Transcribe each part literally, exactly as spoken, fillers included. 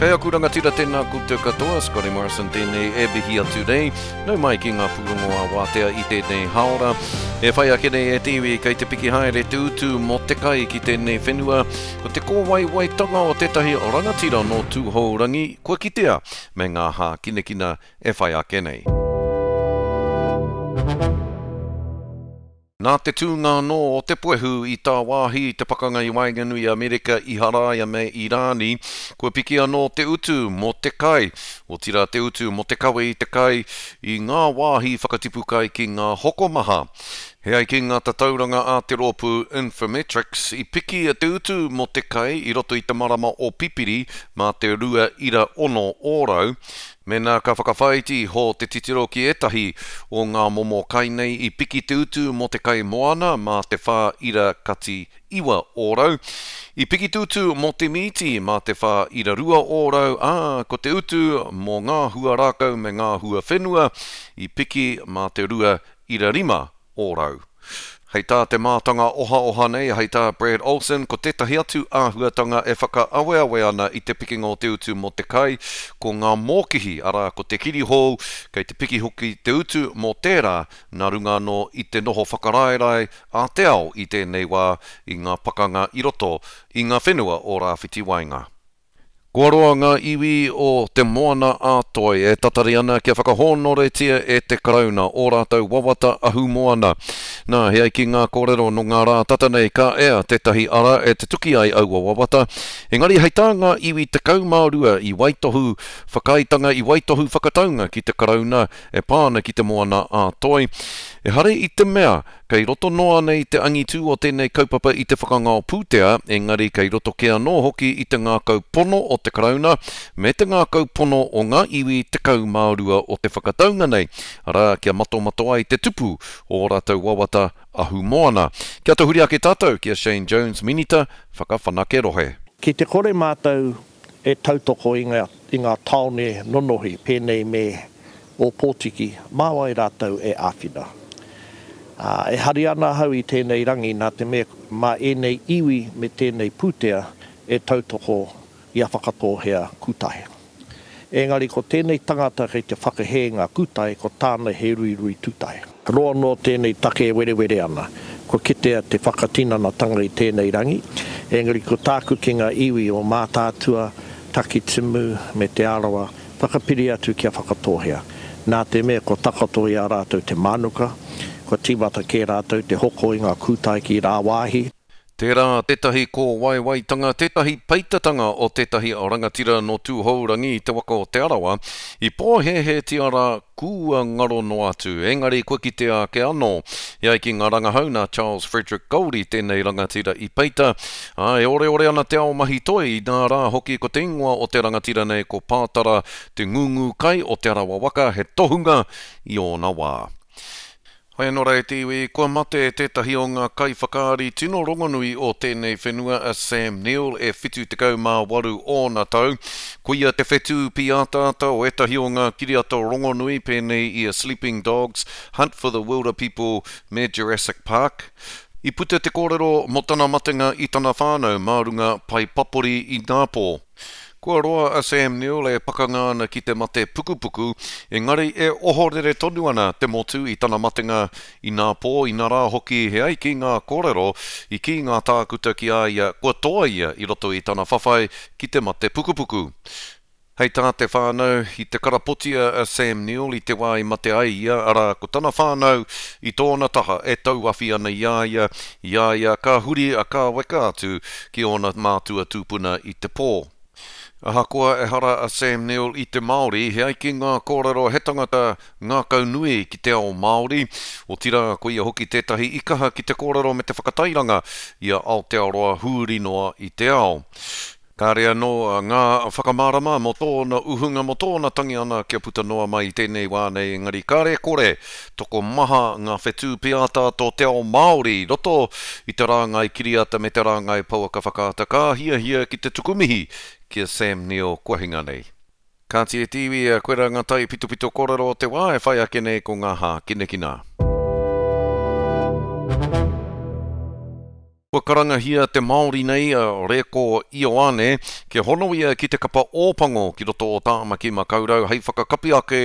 Kei aku rangatira tēnā koutou katoa, Scotty Morrison tēnei e mihi atu nei. Nau mai ki ngā pūrongo a wātea i tēnei haora. E whai ake nei e te iwi kei te piki haere te utu mō te kai ki tēnei whenua. Ko te kōwaiwaitanga o tētahi rangatira nō Tūhourangi kua kitea me ngā hākinakina e whai ake nei. Nā te tūnga anō o te puehu i tāwāhi i te pakanga i waenganui i Amerika, Iharaia me Irāni, kua piki anō te utu mō te kai, otirā te utu mō te kawe i te kai i ngā wāhi whakatipu kai ki ngā hokomaha. He ai ki ngā tatauranga a te rōpū Infometrics, i piki te utu mō te kai i roto i te marama o Pipiri mā te rua ira ono ōrau. Mēnā ka whakawhāiti iho te titiro ki ētahi o ngā momo kai nei i piki te utu mō te kai moana mā te whā ira kati iwa ōrau. I piki te utu mō te mīti mā te whā ira rua ōrau, ā, ko te utu mō ngā hua rākau me ngā hua whenua i piki mā te rua ira rima ōrau. Hei tā te mātanga ohaoha nei, hei tā Brad Olsen, ko tētahi atu āhuatanga e whakaaweawe ana i te pikinga o te utu mō te kai, ko ngā mōkihi, arā ko te kirihou, kei te piki hoki te utu mō tērā, nā runga anō i te noho whakaraerae a te ao i tēnei wā i ngā pakanga i roto i ngā whenua o Rāwhiti Waenga. Kua roa ngā iwi o Te Moana a Toi e tatari ana kia whakahōnoretia e te Karauna ō rātou wawata ahumoana. Nā, he ai ki ngā kōrero nō ngā rā tata nei ka ea tētahi ara e tutuki ai aua wawata. Engari hei tā ngā iwi tekau mā rua i waitohu whakaaetanga, i waitohu whakataunga ki te Karauna e pā ana ki Te Moana a Toi. Ehara i te mea kei roto noa nei te angitū o tēnei kaupapa i te whakangao pūtea, engari kei roto kē anō hoki i te ngākau pono o te Karauna me te ngākau pono o ngā iwi tekau mā rua o te whakataunga nei, arā, kia matomato ai te tupu o ō rātou wawata ahumoana. Kia tahuri ake tātou ki a Shane Jones, Minita Whakawhanake Rohe. Ki te kore mātou e tautoko i ngā, i ngā tāone nonohi pēnei me Ōpōtiki, mā wai rātou e āwhina? Ā, e hari ana ahau i tēnei rangi nā te mea mā ēnei iwi me tēnei pūtea e tautoko i a Whakatōhea Kūtae. Engari ko tēnei tangata kei te whakahē ngā kūtae, ko tāna he ruirui tūtae. Roa noa tēnei take e werewere ana. Kua kitea te whakatinanatanga i tēnei rangi, engari ko tāku ki ngā iwi o Mātaatua, Takitimu me Te Arawa, whakapiri atu ki a Whakatōhea. Nā te mea kua takoto i a rātou te mānuka, kua tīmata kē rātou te hoko i ngā kūtae ki rāwāhi. Tērā tētahi kōwaiwaitanga, tētahi peitatanga o tētahi rangatira nō Tūhourangi i te waka o Te Arawa, i pōhēhētia rā kua ngaro noa atu, engari kua kitea ake anō. E ai ki ngā rangahau nā Charles Frederick Goldie tēnei rangatira i peita, ā, e oreore ana te ao mahi toi, inā rā hoki ko te ingoa o te rangatira nei ko Pātara Te Ngūngū Kai o Te Arawa waka, he tohunga i ōna wā. Hoi anō rā e te iwi, kua mate tētahi o ngā kaiwhakaari tino rongonui o tēnei whenua a Sam Neill e whitu tekau mā waru ōna tau. Koia te whetū pīataata o ētahi o ngā kiriata rongonui pēnei i a Sleeping Dogs, Hunt for the Wilderpeople me Jurassic Park. I puta te kōrero mō tana matenga i tana whānau mā runga pae papori inapō. Kua roa a Sam Neill e pakanga ana ki te mate pukupuku, engari e ohorere tonu ana te motu i tana matenga inapō, inarā hoki he ai ki ngā kōrero i kī ngā tākuta ki a ia kua toa ia i roto i tana whawhai ki te mate pukupuku. Hei tā te whānau, i te karapotia a Sam Neill i te wā i mate ai ia, arā, ko tana whānau i tōna taha e tauawhi ana i a ia, i a ia ka huri a kāweka atu ki ōna mātua tūpuna i te pō. Ahakoa ehara a Sam Neill i te Māori, he ai ki ngā kōrero he tangata ngākaunui ki te ao Māori, otirā ko ia hoki tētahi i kaha ki te kōrero me te whakatairanga i a Aotearoa huri noa i te ao. Kāre anō ngā whakamārama mō tōna uhunga, mō tōna tangi ana kia puta noa mai i tēnei wā nei, engari kāre e kore, tokomaha ngā whetū pīataata o te ao Māori i roto i te rāngai kiriata me te rāngai pouaka whakaata ka hiahia ki te tuku mihi ki a Sam Neill kua hinga nei. Kāti e te iwi, koirā ngā taipitopito kōrero o te wā e whai ake nei ko ngā hākinakina. Kua karangahia te Māori nei a Reko Ioane kia hono ia ki te kapa Ōpango ki roto o Tāmaki Makaurau hei whakakapi ake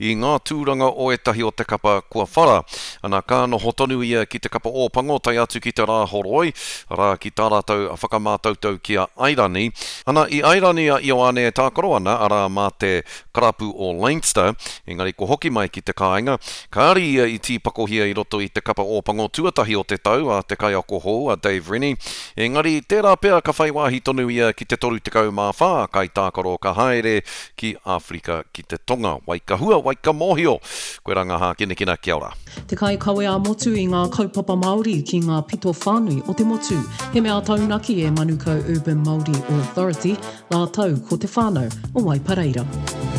i ngā tūranga o ētahi o te kapa kua whara. Ana ka noho tonu ia ki te kapa Ōpango tae atu ki te Rāhoroi, arā ki tā rātou whakamātautau ki a Airani. Ana i Airani a Ioane e tākaro ana, arā mā te karapu o Leinster, engari kua hoki mai ki te kāinga. Kāre ia i tīpakohia i roto i te kapa Ōpango tuatahi o te tau a te kaiako hou a Dave Rennie, engari tērā pea ka whai wāhi tonu ia ki te toru tekau mā whā kaitākaro ka haere ki Āwherika ki te Tonga. Wai ka hua, wai ka mōhio. Koirā ngā hākinakina, kia ora. Te kaikawe ā-motu i ngā kaupapa Māori ki ngā pito whānui o te motu. He mea taunaki e Manukau Urban Māori Authority rātou ko te whānau o Waipareira.